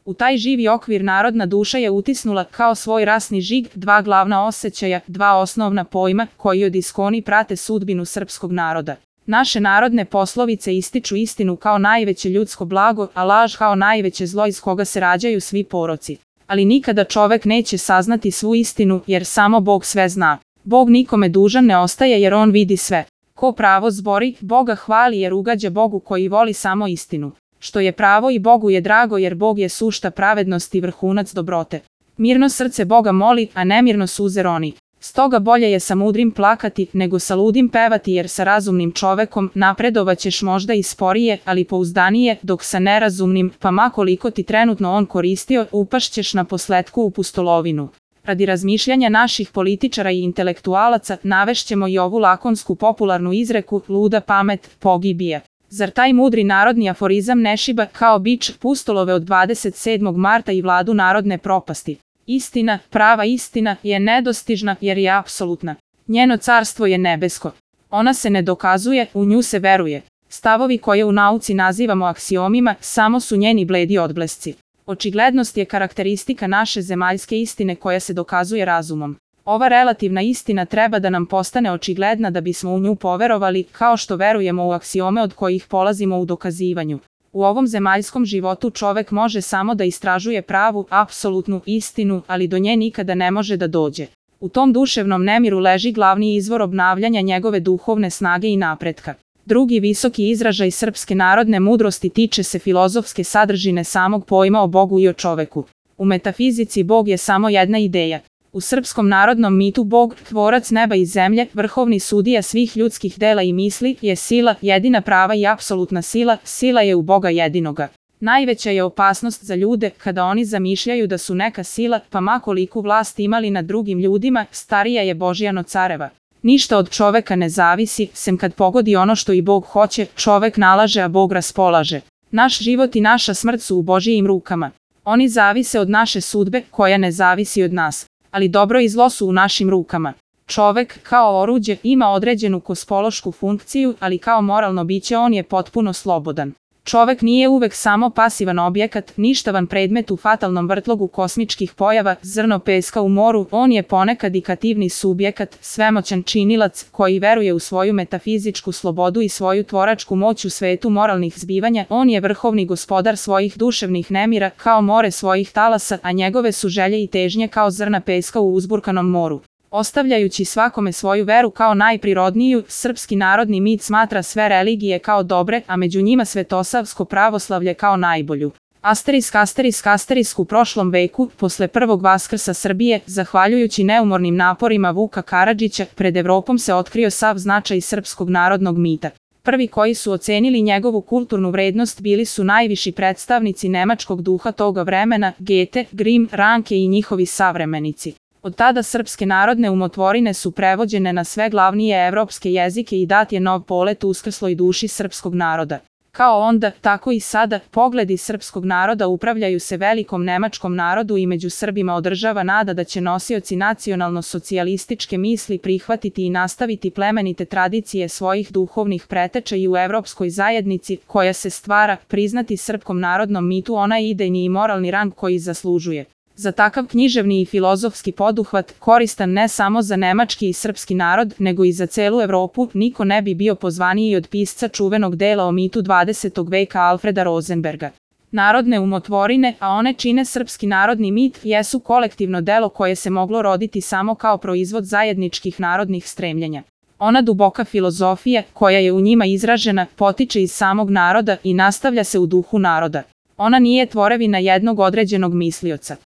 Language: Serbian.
U taj živi okvir narodna duša je utisnula kao svoj rasni žig dva glavna osjećaja, dva osnovna pojma koji od iskoni prate sudbinu srpskog naroda. Naše narodne poslovice ističu istinu kao najveće ljudsko blago, a laž kao najveće zlo iz koga se rađaju svi poroci. Ali nikada čovek neće saznati svu istinu, jer samo Bog sve zna. Bog nikome dužan ne ostaje jer on vidi sve. Ko pravo zbori, Boga hvali jer ugađa Bogu koji voli samo istinu. Što je pravo i Bogu je drago jer Bog je sušta pravednosti i vrhunac dobrote. Mirno srce Boga moli, a nemirno suze roni. Stoga bolje je sa mudrim plakati, nego sa ludim pevati jer sa razumnim čovekom napredovaćeš možda i sporije, ali pouzdanije, dok sa nerazumnim, pa ma koliko ti trenutno on koristio, upašćeš na posletku u pustolovinu. Radi razmišljanja naših političara i intelektualaca navešćemo i ovu lakonsku popularnu izreku, luda pamet pogibije. Zar taj mudri narodni aforizam ne šiba kao bič pustolove od 27. marta i vladu narodne propasti? Istina, prava istina, je nedostižna jer je apsolutna. Njeno carstvo je nebesko. Ona se ne dokazuje, u nju se veruje. Stavovi koje u nauci nazivamo aksiomima samo su njeni bledi odblesci. Očiglednost je karakteristika naše zemaljske istine koja se dokazuje razumom. Ova relativna istina treba da nam postane očigledna da bismo u nju poverovali, kao što verujemo u aksiome od kojih polazimo u dokazivanju. U ovom zemaljskom životu čovek može samo da istražuje pravu, apsolutnu istinu, ali do nje nikada ne može da dođe. U tom duševnom nemiru leži glavni izvor obnavljanja njegove duhovne snage i napretka. Drugi visoki izražaj srpske narodne mudrosti tiče se filozofske sadržine samog pojma o Bogu i o čoveku. U metafizici Bog je samo jedna ideja. U srpskom narodnom mitu Bog, tvorac neba i zemlje, vrhovni sudija svih ljudskih dela i misli, je sila, jedina prava i apsolutna sila, sila je u Boga jedinoga. Najveća je opasnost za ljude kada oni zamišljaju da su neka sila, pa ma koliku vlast imali nad drugim ljudima, starija je Božijano careva. Ništa od čoveka ne zavisi, sem kad pogodi ono što i Bog hoće, čovek nalaže a Bog raspolaže. Naš život i naša smrt su u Božijim rukama. Oni zavise od naše sudbe, koja ne zavisi od nas. Ali dobro i zlo su u našim rukama. Čovek, kao oruđe, ima određenu kosmološku funkciju, ali kao moralno biće on je potpuno slobodan. Čovek nije uvek samo pasivan objekat, ništavan predmet u fatalnom vrtlogu kosmičkih pojava, zrno peska u moru, on je ponekad i kativni subjekat, svemoćan činilac, koji veruje u svoju metafizičku slobodu i svoju tvoračku moć u svetu moralnih zbivanja, on je vrhovni gospodar svojih duševnih nemira, kao more svojih talasa, a njegove su želje i težnje kao zrna peska u uzburkanom moru. Ostavljajući svakome svoju veru kao najprirodniju, srpski narodni mit smatra sve religije kao dobre, a među njima svetosavsko pravoslavlje kao najbolju. Asterisk u prošlom veku, posle prvog vaskrsa Srbije, zahvaljujući neumornim naporima Vuka Karadžića, pred Evropom se otkrio sav značaj srpskog narodnog mita. Prvi koji su ocenili njegovu kulturnu vrednost bili su najviši predstavnici nemačkog duha toga vremena, Goethe, Grimm, Ranke i njihovi savremenici. Od tada srpske narodne umotvorine su prevođene na sve glavnije evropske jezike i dat je nov polet uskrsloj duši srpskog naroda. Kao onda, tako i sada, pogledi srpskog naroda upravljaju se velikom nemačkom narodu i među Srbima održava nada da će nosioci nacionalno-socijalističke misli prihvatiti i nastaviti plemenite tradicije svojih duhovnih preteča i u evropskoj zajednici, koja se stvara, priznati srpskom narodnom mitu onaj idejni i moralni rang koji zaslužuje. Za takav književni i filozofski poduhvat, koristan ne samo za nemački i srpski narod, nego i za celu Evropu, niko ne bi bio pozvaniji od pisca čuvenog dela o mitu 20. veka Alfreda Rosenberga. Narodne umotvorine, a one čine srpski narodni mit, jesu kolektivno delo koje se moglo roditi samo kao proizvod zajedničkih narodnih stremljenja. Ona duboka filozofija, koja je u njima izražena, potiče iz samog naroda i nastavlja se u duhu naroda. Ona nije tvorevina jednog određenog mislioca.